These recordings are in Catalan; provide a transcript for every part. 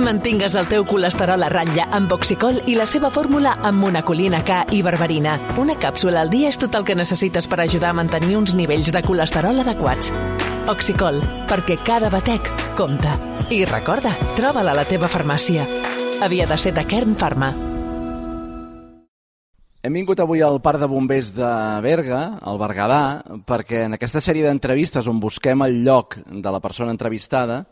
Mantingues el teu colesterol a ratlla amb Oxicol i la seva fórmula amb monacolina K i berberina. Una càpsula al dia és tot el que necessites per ajudar a mantenir uns nivells de colesterol adequats. Oxicol, perquè cada batec compta. I recorda, troba-la a la teva farmàcia. Havia de ser de Kern Pharma. Hem vingut avui al Parc de Bombers de Berga, al Berguedà, perquè en aquesta sèrie d'entrevistes on busquem el lloc de la persona entrevistada,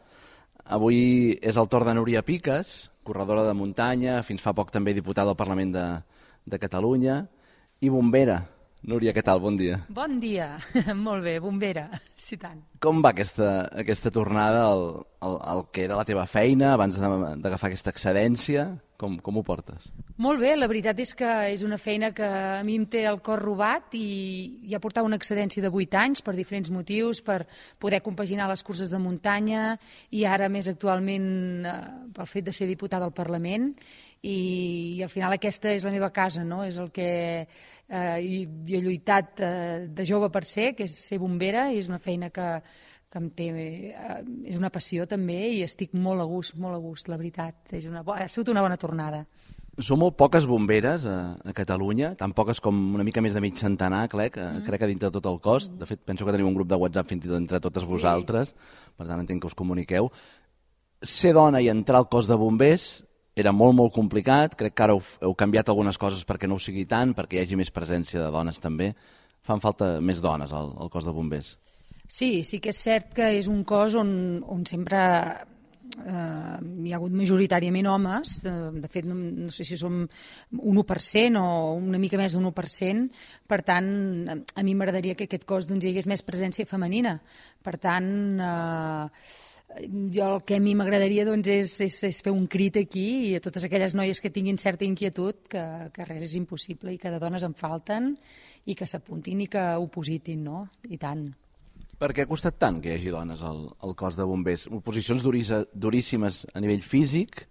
avui és el torn de Núria Piques, corredora de muntanya, fins fa poc també diputada al Parlament de Catalunya, i bombera. Núria, què tal? Bon dia. Bon dia. Molt bé, bombera, sí tant. Com va aquesta tornada al que era la teva feina abans d'agafar aquesta excedència? Com ho portes? Molt bé, la veritat és que és una feina que a mi em té el cor robat i ja portava una excedència de 8 anys per diferents motius, per poder compaginar les curses de muntanya i ara més actualment pel fet de ser diputada al Parlament i al final aquesta és la meva casa, no? És el que he lluitat de jove per ser, que és ser bombera, i és una feina que em té, és una passió també i estic molt a gust, la veritat. Ha sigut una bona tornada. Som molt poques bomberes a Catalunya, tan poques com una mica més de mig centenar, crec que dintre de tot el cos. De fet, penso que tenim un grup de WhatsApp fins i tot entre totes vosaltres, per tant entenc que us comuniqueu. Ser dona i entrar al cos de bombers era molt, molt complicat. Crec que ara heu canviat algunes coses perquè no ho sigui tant, perquè hi hagi més presència de dones també. Fan falta més dones al cos de bombers. Sí que és cert que és un cos on sempre hi ha hagut majoritàriament homes. De fet, no sé si som un 1% o una mica més d'un 1%. Per tant, a mi m'agradaria que aquest cos hi hagués més presència femenina. Per tant, el que a mi m'agradaria és fer un crit aquí i a totes aquelles noies que tinguin certa inquietud que res és impossible i que de dones en falten i que s'apuntin i que opositin, no? I tant. Per què ha costat tant que hi hagi dones al cos de bombers? Oposicions duríssimes a nivell físic.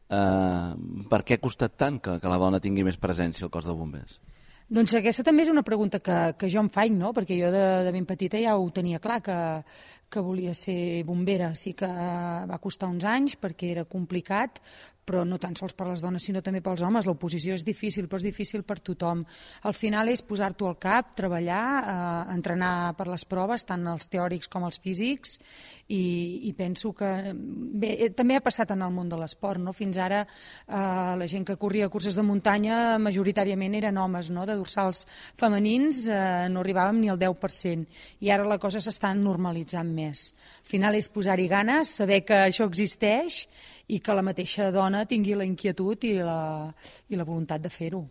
Per què ha costat tant que la dona tingui més presència al cos de bombers? Doncs aquesta també és una pregunta que jo em faig, no? Perquè jo de ben petita ja ho tenia clar, que volia ser bombera. Sí que va costar uns anys perquè era complicat, però no tan sols per les dones sinó també pels homes. L'oposició és difícil, però és difícil per tothom. Al final és posar-t'ho al cap, treballar, entrenar per les proves, tant els teòrics com els físics, i penso que bé, també ha passat en el món de l'esport, no? Fins ara la gent que corria curses de muntanya majoritàriament eren homes, no? De dorsals femenins no arribàvem ni al 10%, i ara la cosa s'està normalitzant més. Al final és posar-hi ganes, saber que això existeix i que la mateixa dona tingui la inquietud i la voluntat de fer-ho.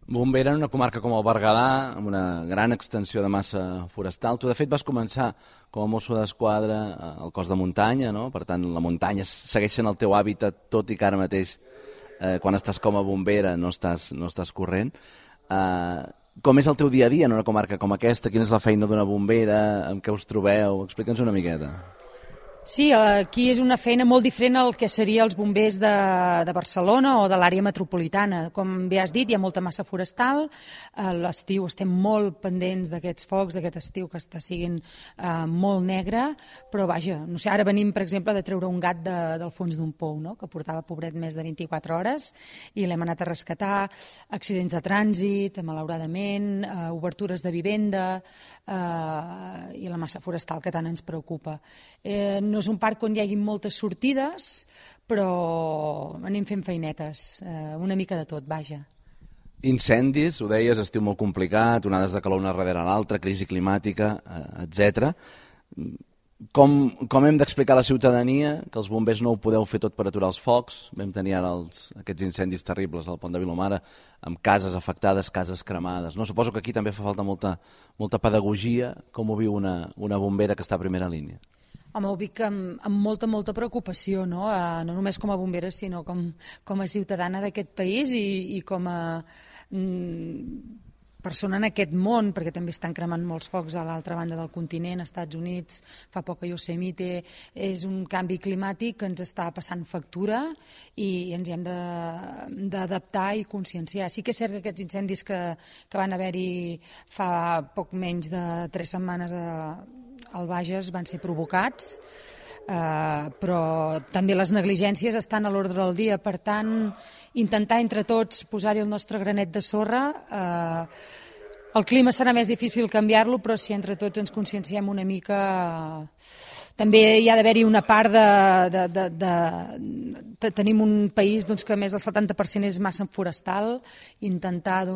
Bombera en una comarca com el Berguedà, amb una gran extensió de massa forestal. Tu, de fet, vas començar com a mosso d'esquadra al cos de muntanya, no? Per tant, la muntanya segueix sent el teu hàbitat, tot i que ara mateix, quan estàs com a bombera, no estàs corrent. Com és el teu dia a dia en una comarca com aquesta? Quina és la feina d'una bombera? Amb què us trobeu? Explica'ns una miqueta. Sí, aquí és una feina molt diferent al que seria els bombers de Barcelona o de l'àrea metropolitana. Com bé has dit, hi ha molta massa forestal. A l'estiu estem molt pendents d'aquests focs, d'aquest estiu que està sent molt negre, però vaja, no sé, ara venim, per exemple, de treure un gat del fons d'un pou, no? Que portava, pobret, més de 24 hores, i l'hem anat a rescatar. Accidents de trànsit, malauradament, obertures de vivenda i la massa forestal que tant ens preocupa. No és un parc on hi hagi moltes sortides, però anem fent feinetes, una mica de tot, vaja. Incendis, ho deies, estiu molt complicat, onades de calor una darrere l'altra, crisi climàtica, etc. Com hem d'explicar a la ciutadania que els bombers no ho podeu fer tot per aturar els focs? Vam tenir ara aquests incendis terribles al Pont de Vilomara, amb cases afectades, cases cremades. No? Suposo que aquí també fa falta molta pedagogia. Com ho viu una bombera que està a primera línia? Home, ho dic amb molta preocupació, no? No només com a bombera, sinó com a ciutadana d'aquest país i com a persona en aquest món, perquè també estan cremant molts focs a l'altra banda del continent, als Estats Units, fa poc a Yosemite. És un canvi climàtic que ens està passant factura i ens hi hem d'adaptar i conscienciar. Sí que és cert que aquests incendis que van haver-hi fa poc menys de 3 setmanes al Bages van ser provocats. però també les negligències estan a l'ordre del dia, per tant, intentar entre tots posar-hi el nostre granet de sorra. El clima serà més difícil canviar-lo, però si entre tots ens conscienciem una mica... També hi ha d'haver-hi una part de tenim un país que més del 70% és massa forestal, intentar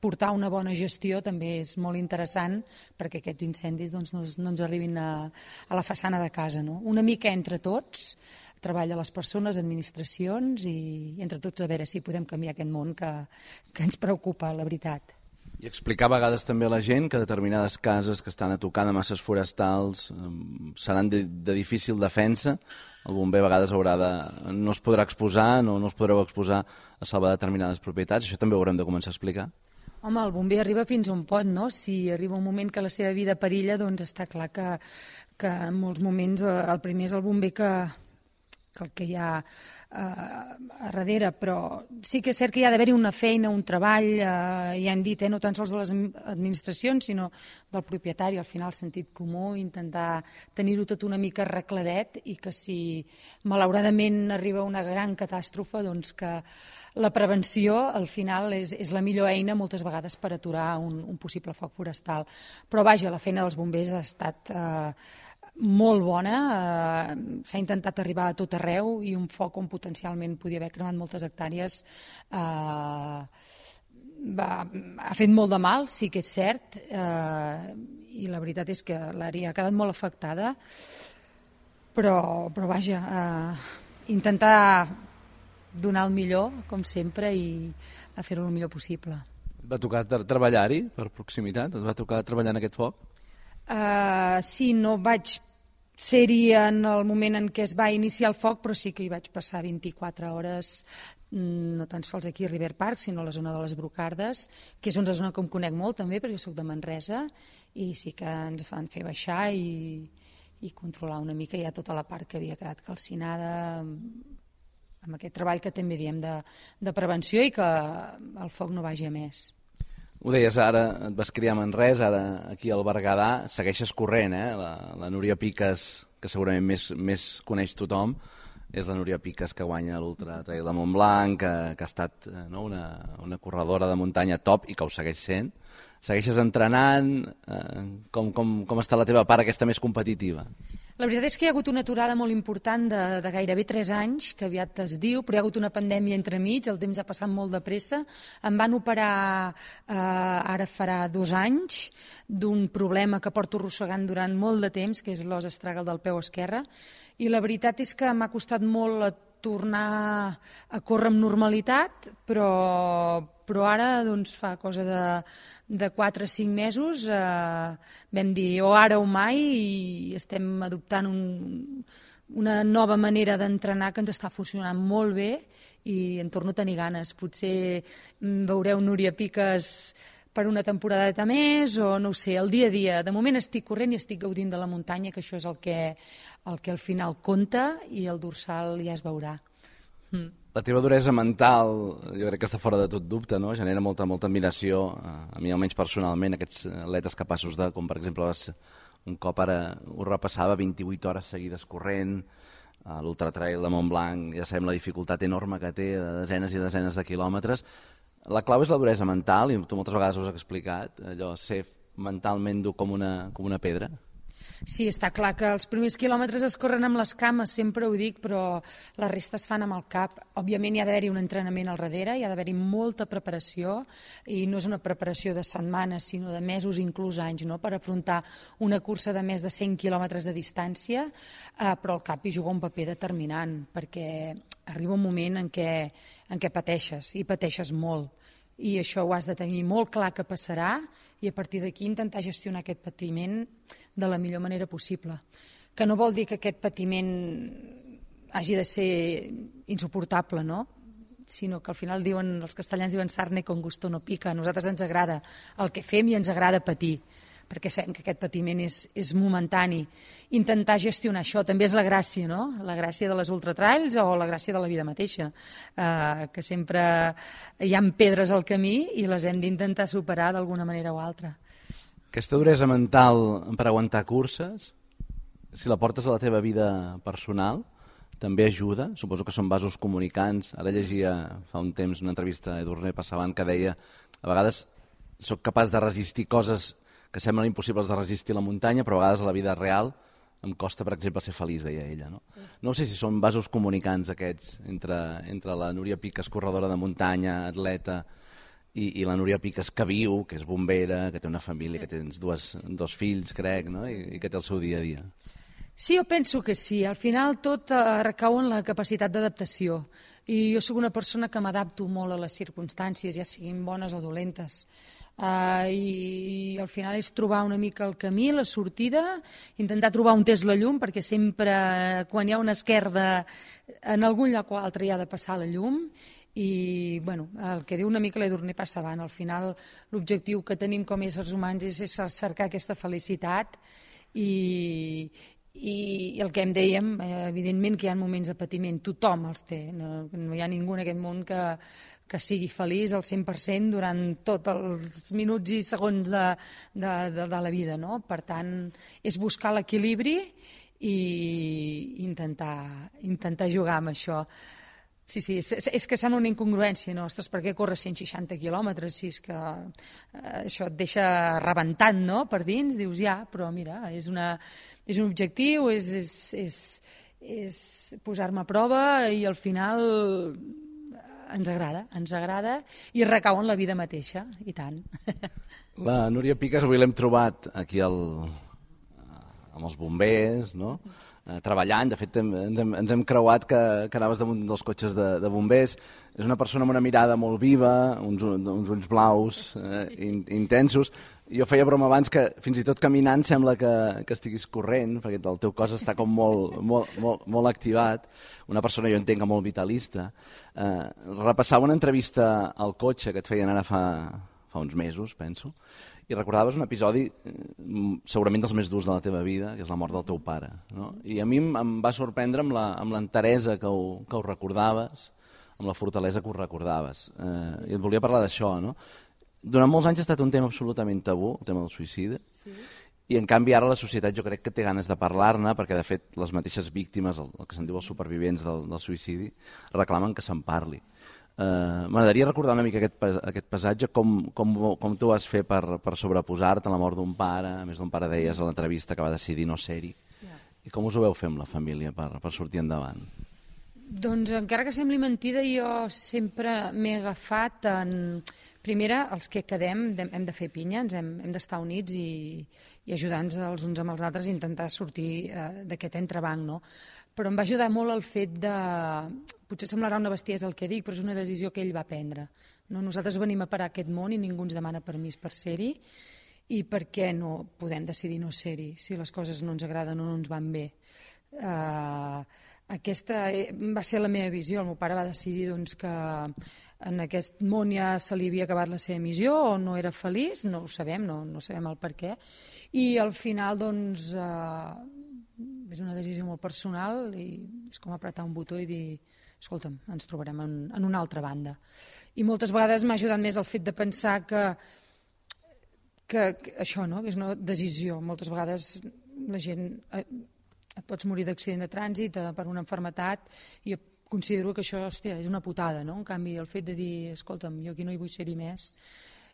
portar una bona gestió també és molt interessant perquè aquests incendis no ens arribin a la façana de casa. No? Una mica entre tots, treball de les persones, administracions i entre tots a veure si podem canviar aquest món que ens preocupa, la veritat. I explicar a vegades també a la gent que determinades cases que estan a tocar de masses forestals seran de difícil defensa. El bomber a vegades no es podrà exposar, no es podreu exposar a salvar determinades propietats. Això també ho haurem de començar a explicar. Home, el bomber arriba fins a un pot, no? Si arriba un moment que la seva vida perilla, doncs està clar que en molts moments el primer és el bomber que el que hi ha a darrere, però sí que és cert que hi ha d'haver-hi una feina, un treball, ja hem dit, no tan sols de les administracions, sinó del propietari, al final sentit comú, intentar tenir-ho tot una mica arregladet i que si malauradament arriba una gran catàstrofe, doncs que la prevenció al final és la millor eina moltes vegades per aturar un possible foc forestal. Però vaja, la feina dels bombers ha estat molt bona, s'ha intentat arribar a tot arreu i un foc on potencialment podia haver cremat moltes hectàrees ha fet molt de mal, sí que és cert, i la veritat és que l'àrea ha quedat molt afectada, però vaja, intentar donar el millor, com sempre, i a fer-ho el millor possible. Et va tocar treballar-hi per proximitat? Et va tocar treballar en aquest foc? Sí, no vaig ser-hi en el moment en què es va iniciar el foc, però sí que hi vaig passar 24 hores, no tan sols aquí a River Park, sinó a la zona de les Brocardes, que és una zona que em conec molt també, perquè jo soc de Manresa, i sí que ens van fer baixar i controlar una mica ja tota la part que havia quedat calcinada, amb aquest treball que també diem de prevenció i que el foc no vagi a més. Ho deies, ara et vas criar a Manresa, ara aquí al Berguedà, segueixes corrent, la Núria Piques, que segurament més coneix tothom, és la Núria Piques que guanya l'Ultra Trail de Montblanc, que ha estat una corredora de muntanya top i que ho segueix sent. Segueixes entrenant? Com està la teva part aquesta més competitiva? La veritat és que hi ha hagut una aturada molt important de gairebé 3 anys, que aviat es diu, però hi ha hagut una pandèmia entremig, el temps ha passat molt de pressa. Em van operar ara farà 2 anys d'un problema que porto arrossegant durant molt de temps, que és l'os astràgal del peu esquerre, i la veritat és que m'ha costat molt tornar a córrer amb normalitat, però ara doncs, fa cosa de 4 o 5 mesos vam dir o ara o mai i estem adoptant una nova manera d'entrenar que ens està funcionant molt bé i en torno a tenir ganes. Potser veureu Núria Piques per una temporadeta més o no ho sé, el dia a dia. De moment estic corrent i estic gaudint de la muntanya, que això és el que al final compta i el dorsal ja es veurà. La teva duresa mental, jo crec que està fora de tot dubte, no? Genera molta admiració, a mi almenys personalment, aquests atletes capaços de, com per exemple un cop ara ho repassava, 28 hores seguides corrent, a l'Ultra Trail de Montblanc, ja sabem la dificultat enorme que té, de desenes i desenes de quilòmetres. La clau és la duresa mental, i tu moltes vegades ho has explicat, allò, ser mentalment dur com una pedra. Sí, està clar que els primers quilòmetres es corren amb les cames, sempre ho dic, però la resta es fan amb el cap. Òbviament hi ha d'haver-hi un entrenament al darrere, hi ha d'haver-hi molta preparació, i no és una preparació de setmanes, sinó de mesos, inclús anys, no? Per afrontar una cursa de més de 100 quilòmetres de distància, però el cap hi juga un paper determinant, perquè arriba un moment en què pateixes, i pateixes molt. I això ho has de tenir molt clar que passarà i a partir d'aquí intentar gestionar aquest patiment de la millor manera possible. Que no vol dir que aquest patiment hagi de ser insuportable, no? Sinó que al final els castellans diuen sarne con gusto no pica. A nosaltres ens agrada el que fem i ens agrada patir, perquè sabem que aquest patiment és momentani. Intentar gestionar això també és la gràcia, no? La gràcia de les ultratrails o la gràcia de la vida mateixa, que sempre hi ha pedres al camí i les hem d'intentar superar d'alguna manera o altra. Aquesta duresa mental per aguantar curses si la portes a la teva vida personal, també ajuda. Suposo que són vasos comunicants. Ara llegia fa un temps una entrevista a Edurne Passavant que deia a vegades soc capaç de resistir coses que semblen impossibles de resistir a la muntanya, però a vegades a la vida real em costa, per exemple, ser feliç, deia ella. No sé si són vasos comunicants aquests entre la Núria Piques, corredora de muntanya, atleta, i la Núria Piques que viu, que és bombera, que té una família, que té dos fills, crec, no? I que té el seu dia a dia. Sí, jo penso que sí. Al final tot recau en la capacitat d'adaptació. I jo sóc una persona que m'adapto molt a les circumstàncies, ja siguin bones o dolentes. I al final és trobar una mica el camí, la sortida, intentar trobar on és la llum, perquè sempre quan hi ha una esquerda en algun lloc o altre hi ha de passar la llum. I bueno, el que diu una mica l'Edurne Passavant, al final l'objectiu que tenim com a éssers humans és cercar aquesta felicitat i el que em dèiem, evidentment que hi ha moments de patiment, tothom els té, no hi ha ningú en aquest món que sigui feliç al 100% durant tots els minuts i segons de la vida, no? Per tant, és buscar l'equilibri i intentar jugar amb això. Sí, és que sembla una incongruència, no? Ostres, per què córrer 160 quilòmetres si és que això et deixa rebentant, no?, per dins, dius ja, però mira, és un objectiu, és posar-me a prova i al final ens agrada i recau en la vida mateixa, i tant. La Núria Piques avui l'hem trobat aquí amb els bombers, no?, treballant. De fet, ens hem creuat que anaves damunt dels cotxes de bombers. És una persona amb una mirada molt viva, uns ulls blaus intensos. Jo feia broma abans que fins i tot caminant sembla que estiguis corrent, perquè el teu cos està com molt activat. Una persona, jo entenc, molt vitalista. Repassava una entrevista al cotxe que et feien ara fa uns mesos, penso, i recordaves un episodi segurament dels més durs de la teva vida, que és la mort del teu pare, no? I a mi em va sorprendre amb l'enteresa que ho recordaves, amb la fortalesa que ho recordaves. I et volia parlar d'això, no? Durant molts anys ha estat un tema absolutament tabú, el tema del suïcidi, sí. I en canvi ara la societat jo crec que té ganes de parlar-ne, perquè de fet les mateixes víctimes, el que se'n diu els supervivents del suïcidi, reclamen que se'n parli. M'agradaria recordar una mica aquest passatge, com tu vas fer per sobreposar-te a la mort d'un pare, a més d'un pare deies a l'entrevista que va decidir no ser-hi, i com us ho veu fer amb la família per sortir endavant? Doncs encara que sembli mentida, jo sempre m'he agafat en... Primera, els que quedem hem de fer pinya, hem d'estar units i ajudar-nos els uns amb els altres i intentar sortir d'aquest entrebanc, no? Però em va ajudar molt el fet de... Potser semblarà una bestiesa el que dic, però és una decisió que ell va prendre. No? Nosaltres venim a parar aquest món i ningú ens demana permís per ser-hi, i per què no podem decidir no ser-hi si les coses no ens agraden o no ens van bé. Aquesta va ser la meva visió. El meu pare va decidir doncs, que en aquest món ja se li havia acabat la seva missió o no era feliç, no ho sabem, no sabem el per què. I al final doncs, és una decisió molt personal i és com apretar un botó i dir escolta'm, ens trobarem en una altra banda. I moltes vegades m'ha ajudat més el fet de pensar que això no, és una decisió. Moltes vegades la gent... et pots morir d'accident de trànsit per una malaltia i jo considero que això, hòstia, és una putada, no? En canvi, el fet de dir, escolta'm, jo aquí no hi vull ser-hi més,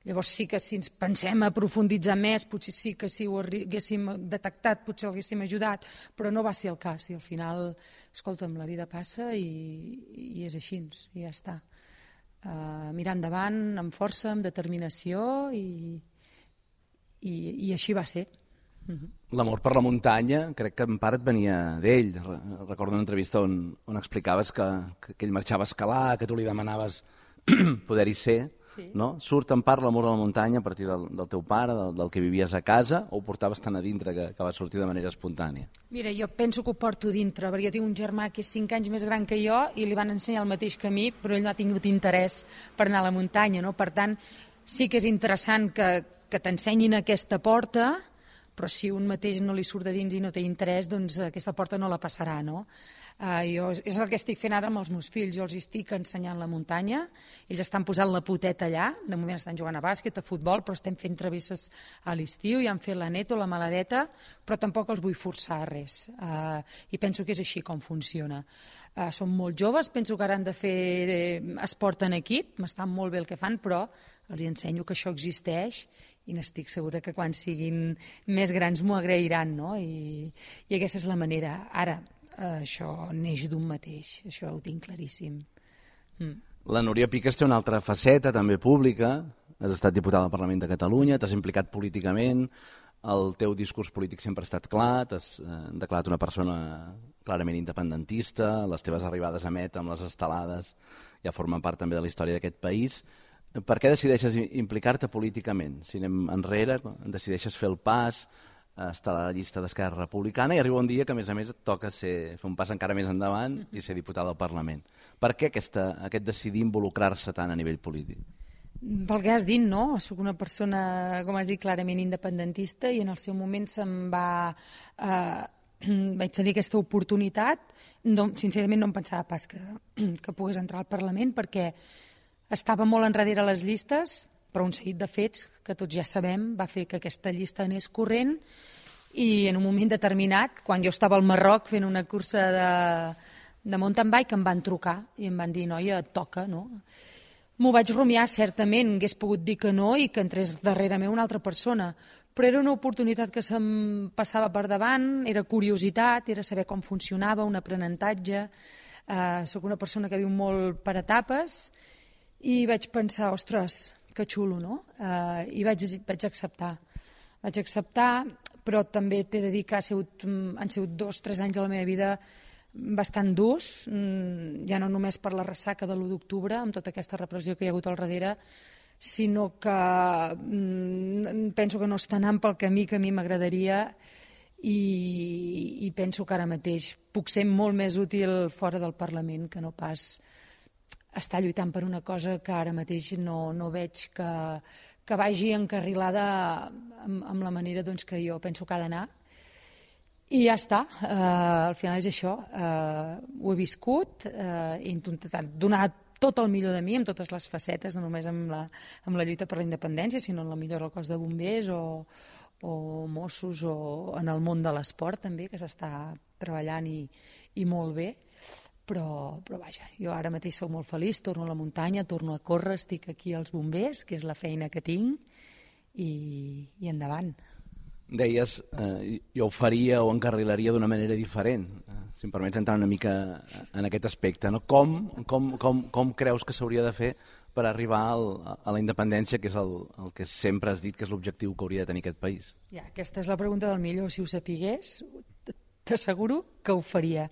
llavors sí que si ens pensem a profunditzar més, potser sí que si ho haguéssim detectat, potser l'haguéssim ajudat, però no va ser el cas, i al final, escolta'm, la vida passa i és així, i ja està. Mirar endavant amb força, amb determinació, i així va ser. L'amor per la muntanya crec que en part et venia d'ell. Recordo una entrevista on explicaves que ell marxava a escalar, que tu li demanaves poder-hi ser, sí. No? Surt en part l'amor a la muntanya a partir del teu pare, del que vivies a casa, o ho portaves tan a dintre que va sortir de manera espontània? Mira, jo penso que ho porto dintre, perquè jo tinc un germà que és 5 anys més gran que jo i li van ensenyar el mateix camí, però ell no ha tingut interès per anar a la muntanya, no? Per tant, sí que és interessant que t'ensenyin aquesta porta, però si un mateix no li surt de dins i no té interès, doncs aquesta porta no la passarà, no? És el que estic fent ara amb els meus fills. Jo els estic ensenyant la muntanya, ells estan posant la poteta allà, de moment estan jugant a bàsquet, a futbol, però estem fent travesses a l'estiu, ja han fet la neto, la maladeta, però tampoc els vull forçar a res, i penso que és així com funciona. Són molt joves, penso que ara han de fer esport en equip, m'estan molt bé el que fan, però els ensenyo que això existeix i n'estic segura que quan siguin més grans m'ho agrairan, no? I aquesta és la manera. Ara, això neix d'un mateix, això ho tinc claríssim. La Núria Picas té una altra faceta, també pública. Has estat diputada al Parlament de Catalunya, t'has implicat políticament, el teu discurs polític sempre ha estat clar, t'has declarat una persona clarament independentista, les teves arribades a Met amb les estelades ja formen part també de la història d'aquest país. Per què decideixes implicar-te políticament? Si anem enrere, decideixes fer el pas, estar a la llista d'Esquerra Republicana i arriba un dia que, a més, et toca fer un pas encara més endavant i ser diputada al Parlament. Per què aquest decidir involucrar-se tant a nivell polític? Pel que has dit, no? Soc una persona, com has dit, clarament independentista i en el seu moment vaig tenir aquesta oportunitat. Sincerament no em pensava pas que pogués entrar al Parlament perquè estava molt enrere a les llistes, però un seguit de fets que tots ja sabem va fer que aquesta llista anés corrent i en un moment determinat, quan jo estava al Marroc fent una cursa de mountain bike, em van trucar i em van dir, noia, et toca, no? M'ho vaig rumiar, certament, hagués pogut dir que no i que entrés darrere meu una altra persona, però era una oportunitat que se'm passava per davant, era curiositat, era saber com funcionava, un aprenentatge. Soc una persona que viu molt per etapes i vaig pensar, ostres, que xulo, no? I vaig acceptar. Vaig acceptar, però també t'he de dir que han sigut 2 o 3 anys de la meva vida bastant durs, ja no només per la ressaca de l'1 d'octubre, amb tota aquesta repressió que hi ha hagut al darrere, sinó que penso que no està anant pel camí que a mi m'agradaria i penso que ara mateix puc ser molt més útil fora del Parlament que no pas estar lluitant per una cosa que ara mateix no veig que vagi encarrilada amb la manera que jo penso que ha d'anar. I ja està, al final és això, ho he viscut, he intentat donar tot el millor de mi, amb totes les facetes, no només amb la lluita per la independència, sinó en la millora del cos de bombers o Mossos o en el món de l'esport també, que s'està treballant i molt bé. Però vaja, jo ara mateix soc molt feliç, torno a la muntanya, torno a córrer, estic aquí als bombers, que és la feina que tinc, i endavant. Deies, jo ho faria o encarrilaria d'una manera diferent. Si em permets entrar una mica en aquest aspecte, no? Com creus que s'hauria de fer per arribar a la independència, que és el que sempre has dit que és l'objectiu que hauria de tenir aquest país? Ja, aquesta és la pregunta del millor. Si ho sapigués, t'asseguro que ho faria.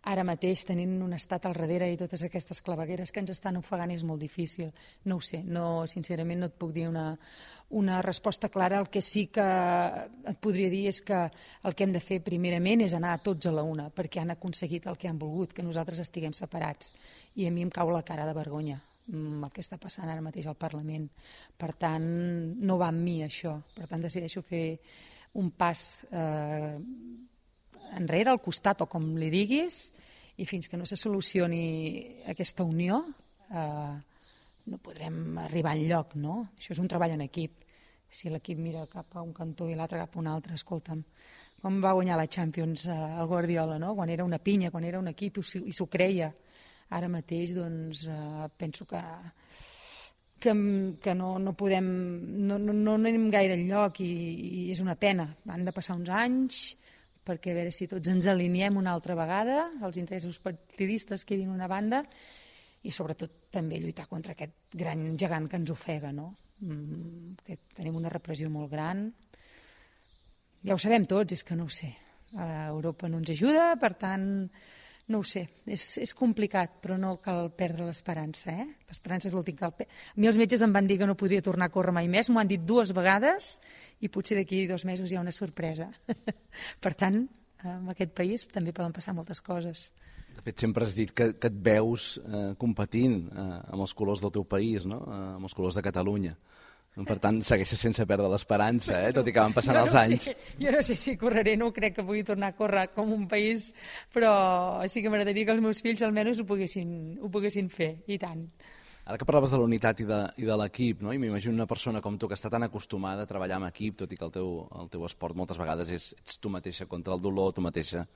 Ara mateix, tenint un estat al darrere i totes aquestes clavegueres que ens estan ofegant, és molt difícil. No ho sé, sincerament no et puc dir una resposta clara. El que sí que et podria dir és que el que hem de fer primerament és anar tots a la una, perquè han aconseguit el que han volgut, que nosaltres estiguem separats. I a mi em cau la cara de vergonya el que està passant ara mateix al Parlament. Per tant, no va amb mi això. Per tant, decideixo fer un pas enrere, al costat o com li diguis, i fins que no se solucioni aquesta unió no podrem arribar enlloc, no? Això és un treball en equip. Si l'equip mira cap a un cantó i l'altre cap a un altre, escolta'm, com va guanyar la Champions el Guardiola, no? Quan era una pinya, quan era un equip i s'ho creia. Ara mateix, doncs, penso que no podem, no anem gaire enlloc i és una pena. Han de passar uns anys perquè a veure si tots ens alineem una altra vegada, els interessos partidistes quedin una banda i sobretot també lluitar contra aquest gran gegant que ens ofega, no? Que tenim una repressió molt gran. Ja ho sabem tots, és que no ho sé. Europa no ens ajuda, per tant, no ho sé. És complicat, però no cal perdre l'esperança. L'esperança és l'últim que cal perdre. A mi els metges em van dir que no podria tornar a córrer mai més, m'ho han dit 2 vegades i potser d'aquí 2 mesos hi ha una sorpresa. Per tant, en aquest país també poden passar moltes coses. De fet, sempre has dit que et veus competint amb els colors del teu país, no? Amb els colors de Catalunya. Per tant, segueixes sense perdre l'esperança, tot i que van passant els anys. Jo no sé si correré, no crec que pugui tornar a córrer com un país, però sí que m'agradaria que els meus fills almenys ho poguessin fer, i tant. Ara que parlaves de la unitat i de l'equip, no? I m'imagino una persona com tu que està tan acostumada a treballar en equip, tot i que el teu esport moltes vegades ets tu mateixa contra el dolor, tu mateixa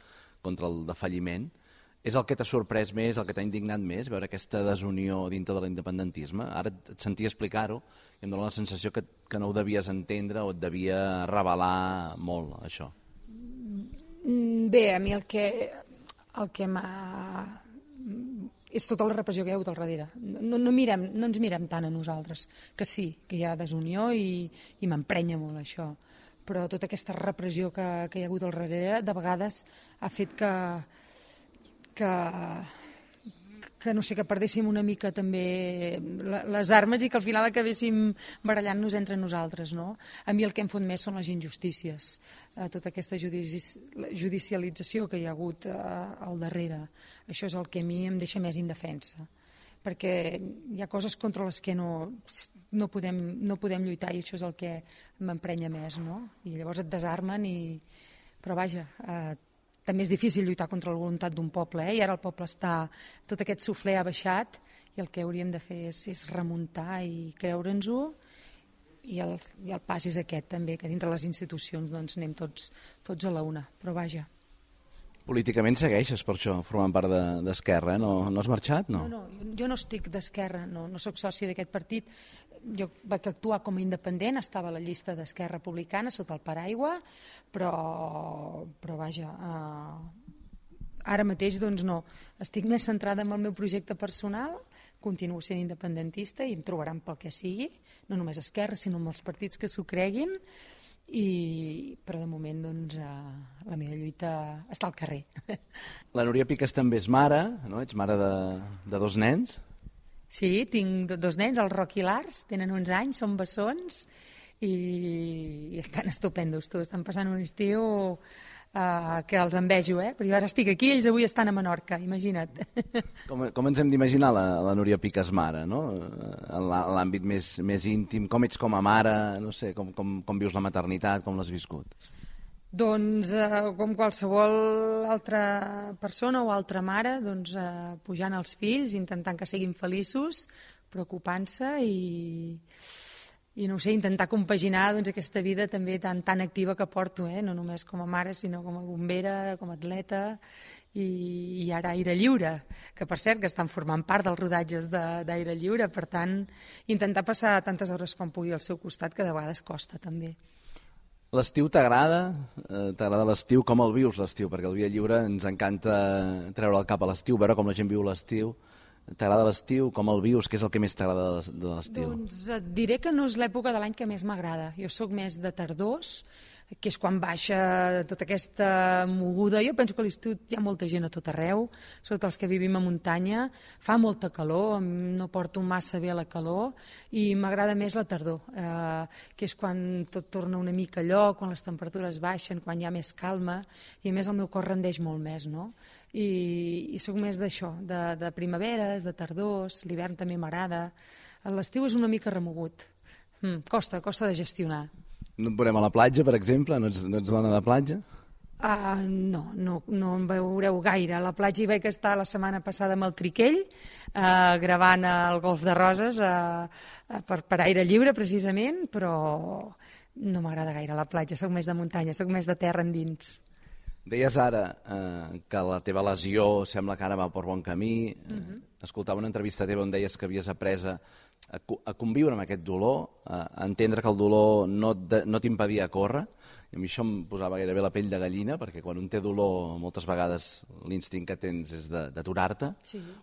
contra el defalliment. És el que t'ha sorprès més, el que t'ha indignat més, veure aquesta desunió dintre de l'independentisme? Ara et sentia explicar-ho i em dóna la sensació que no ho devies entendre o et devia revelar molt, això. Bé, a mi el que m'ha... és tota la repressió que hi ha hagut al darrere. No ens mirem tant a nosaltres, que sí, que hi ha desunió i m'emprenya molt això. Però tota aquesta repressió que hi ha hagut al darrere, de vegades ha fet que no sé, que perdéssim una mica també les armes i que al final acabéssim barallant-nos entre nosaltres, no? A mi el que em fot més són les injustícies, tota aquesta judicialització que hi ha hagut al darrere. Això és el que a mi em deixa més indefensa, perquè hi ha coses contra les que no podem lluitar i això és el que m'emprenya més, no? I llavors et desarmen però vaja, també és difícil lluitar contra la voluntat d'un poble, i ara el poble tot aquest suflé ha baixat i el que hauríem de fer és remuntar i creure'ns-ho, i el pas és aquest també, que dintre les institucions doncs anem tots a la una, però vaja. Políticament segueixes per això, formant part d'Esquerra, no has marxat? No, jo no estic d'Esquerra, no soc sòcia d'aquest partit. Jo vaig actuar com a independent, estava a la llista d'Esquerra Republicana sota el paraigua, però vaja, ara mateix doncs no. Estic més centrada en el meu projecte personal, continuo sent independentista i em trobaran pel que sigui, no només Esquerra, sinó amb els partits que s'ho creguin, però de moment doncs, la meva lluita està al carrer. La Núria Picas també és mare, no? Ets mare de 2 nens? Sí, tinc 2 nens, el Roc i l'Ars, tenen 11 anys, són bessons i estan estupendos, estan passant un estiu que els envejo, però jo ara estic aquí, ells avui estan a Menorca, imagina't. Com ens hem d'imaginar la Núria Picas mare, no? En l'àmbit més íntim, com ets com a mare, no sé, com vius la maternitat, com l'has viscut? Doncs com qualsevol altra persona o altra mare, doncs, pujant els fills, intentant que siguin feliços, preocupant-se i no ho sé, intentar compaginar doncs, aquesta vida també tan activa que porto, no només com a mare, sinó com a bombera, com a atleta i ara Aire Lliure, que per cert que estan formant part dels rodatges d'Aire Lliure, per tant, intentar passar tantes hores com pugui al seu costat, que de vegades costa també. L'estiu t'agrada? T'agrada l'estiu? Com el vius l'estiu? Perquè al Via Lliure ens encanta treure el cap a l'estiu, veure com la gent viu l'estiu. T'agrada l'estiu? Com el vius? Què és el que més t'agrada de l'estiu? Doncs et diré que no és l'època de l'any que més m'agrada. Jo sóc més de tardors, que és quan baixa tota aquesta moguda. Jo penso que a l'estiu hi ha molta gent a tot arreu, sobretot els que vivim a muntanya. Fa molta calor, no porto massa bé la calor, i m'agrada més la tardor, que és quan tot torna una mica a lloc, quan les temperatures baixen, quan hi ha més calma, i a més el meu cos rendeix molt més, no? I sóc més d'això, de primaveres, de tardors, l'hivern també m'agrada. L'estiu és una mica remogut, costa de gestionar. No et veurem a la platja, per exemple? No ets dona de platja? No em veureu gaire. A la platja hi vaig estar la setmana passada amb el Triquell, gravant el Golf de Roses per Aire Lliure, precisament, però no m'agrada gaire la platja, soc més de muntanya, soc més de terra endins. Deies ara que la teva lesió sembla que ara va per bon camí. Escoltava una entrevista teva on deies que havies après a conviure amb aquest dolor, a entendre que el dolor no t'impedia córrer. I a mi això em posava gairebé la pell de gallina, perquè quan un té dolor moltes vegades l'instint que tens és d'aturar-te,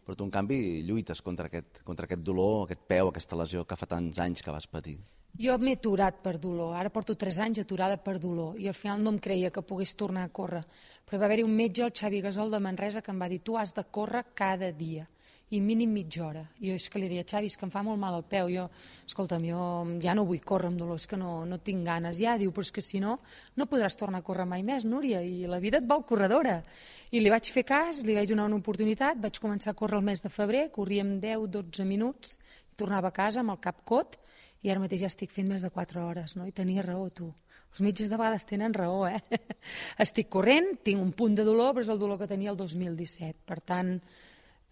però tu en canvi lluites contra aquest dolor, aquest peu, aquesta lesió que fa tants anys que vas patir. Jo m'he aturat per dolor, ara porto 3 anys aturada per dolor i al final no em creia que pogués tornar a córrer, però va haver-hi un metge, el Xavi Gasol de Manresa, que em va dir tu has de córrer cada dia i mínim mitja hora. I jo és que li deia, Xavi, és que em fa molt mal el peu, escolta'm, jo ja no vull córrer amb dolor, és que no tinc ganes ja, diu, però és que si no podràs tornar a córrer mai més, Núria, i la vida et vol corredora. I li vaig fer cas, li vaig donar una oportunitat, vaig començar a córrer el mes de febrer, corria amb 10-12 minuts, tornava a casa amb el cap cot, i ara mateix ja estic fent més de 4 hores, no? I tenia raó, tu. Els metges de vegades tenen raó, Estic corrent, tinc un punt de dolor, però és el dolor que tenia el 2017. Per tant,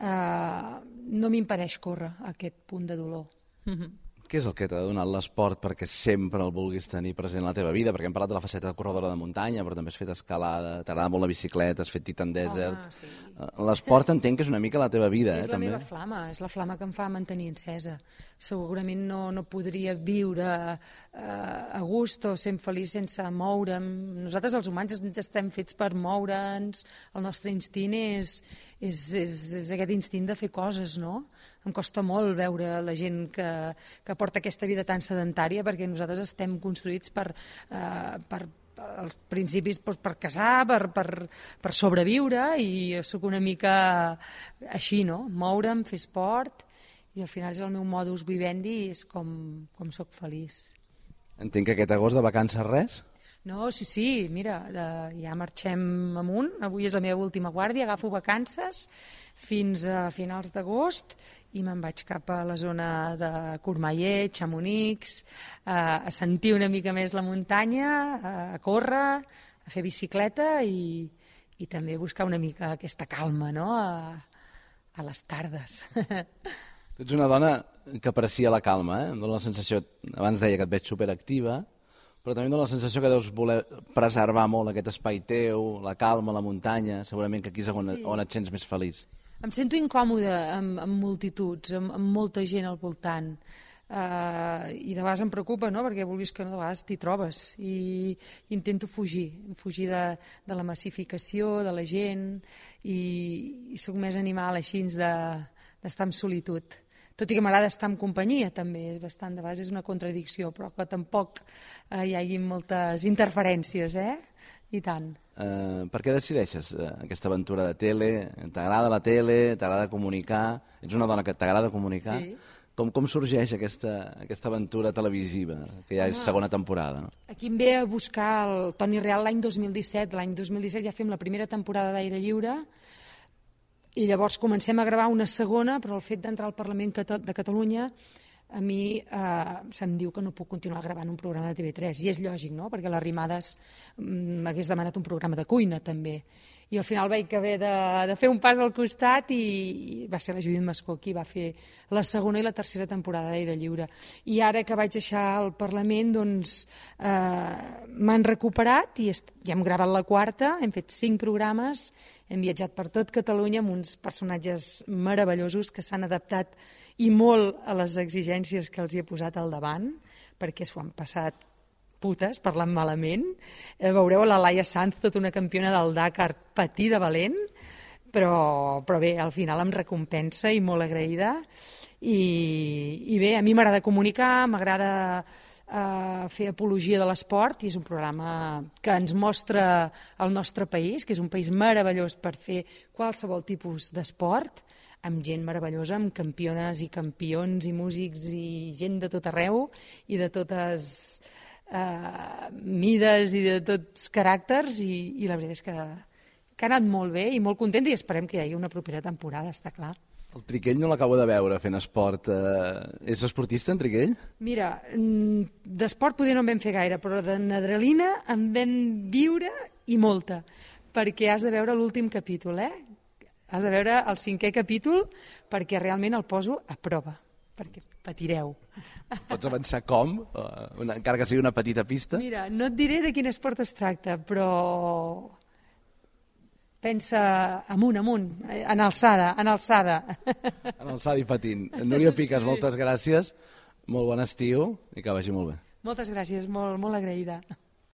no m'impedeix córrer aquest punt de dolor. Què és el que t'ha donat l'esport perquè sempre el vulguis tenir present en la teva vida? Perquè hem parlat de la faceta de corredora de muntanya, però també has fet escalada, t'agrada molt la bicicleta, has fet Titan Desert... Sí. L'esport entenc que és una mica la teva vida, És la també. meva flama, és la flama que em fa mantenir encesa. Segurament no podria viure a gust o sent feliç sense moure'm. Nosaltres els humans estem fets per moure'ns, el nostre instint és aquest instint de fer coses, no? Em costa molt veure la gent que porta aquesta vida tan sedentària perquè nosaltres estem construïts per als principis per casar, per sobreviure, i sóc una mica així, no? Moure'm, fer esport, i al final és el meu modus vivendi i és com sóc feliç. Entenc que aquest agost de vacances res? No, sí, mira, ja marxem amunt, avui és la meva última guàrdia, agafo vacances fins a finals d'agost i me'n vaig cap a la zona de Courmayeur, Chamonix, a sentir una mica més la muntanya, a córrer, a fer bicicleta i també buscar una mica aquesta calma, no?, a les tardes. Tu ets una dona que aprecia la calma, Em dóna la sensació, abans deia que et veig superactiva, però també em dóna la sensació que deus voler preservar molt aquest espai teu, la calma, la muntanya, segurament que aquí és on et sents més feliç. Em sento incòmoda amb multituds, amb molta gent al voltant, i de vegades em preocupa, no?, perquè vulguis que no, de vegades t'hi trobes, i intento fugir de la massificació, de la gent, i sóc més animal així d'estar en solitud. Tot i que m'agrada estar en companyia, també, de vegades és una contradicció, però que tampoc hi hagi moltes interferències, I tant. Per què decideixes aquesta aventura de tele? T'agrada la tele? T'agrada comunicar? Ets una dona que t'agrada comunicar? Sí. Com sorgeix aquesta aventura televisiva, que ja és segona temporada? No? Aquí em ve a buscar el Toni Real l'any 2017. L'any 2017 ja fem la primera temporada d'Aire Lliure, i llavors comencem a gravar una segona, però el fet d'entrar al Parlament de Catalunya a mi se'm diu que no puc continuar gravant un programa de TV3, i és lògic, no?, perquè l'Arrimadas m'hagués demanat un programa de cuina també, i al final vaig haver de fer un pas al costat, i va ser la Judit Mascó qui va fer la segona i la tercera temporada d'Aire Lliure. I ara que vaig deixar el Parlament, doncs m'han recuperat i ja hem gravat la quarta, hem fet 5 programes, hem viatjat per tot Catalunya amb uns personatges meravellosos que s'han adaptat i molt a les exigències que els hi he posat al davant, perquè s'ho han passat putes, parlant malament. Veureu la Laia Sanz, tota una campiona del Dakar, patir de valent, però bé, al final em recompensa i molt agraïda. I bé, a mi m'agrada comunicar, m'agrada fer apologia de l'esport, i és un programa que ens mostra el nostre país, que és un país meravellós per fer qualsevol tipus d'esport, amb gent meravellosa, amb campiones i campions i músics i gent de tot arreu i de totes mides i de tots caràcters, i la veritat és que ha anat molt bé i molt contenta, i esperem que hi hagi una propera temporada, està clar. El Triquell no l'acabo de veure fent esport. És esportista, en Triquell? Mira, d'esport potser no en vam fer gaire, però d'adrenalina en vam viure i molta, perquè has de veure l'últim capítol, Has de veure el 5è capítol perquè realment el poso a prova, perquè patireu. Pots avançar com? Encara que sigui una petita pista? Mira, no et diré de quin esport es tracta, però pensa amunt, en alçada. En alçada i patint. Núria Picas, moltes gràcies, molt bon estiu i que vagi molt bé. Moltes gràcies, molt agraïda.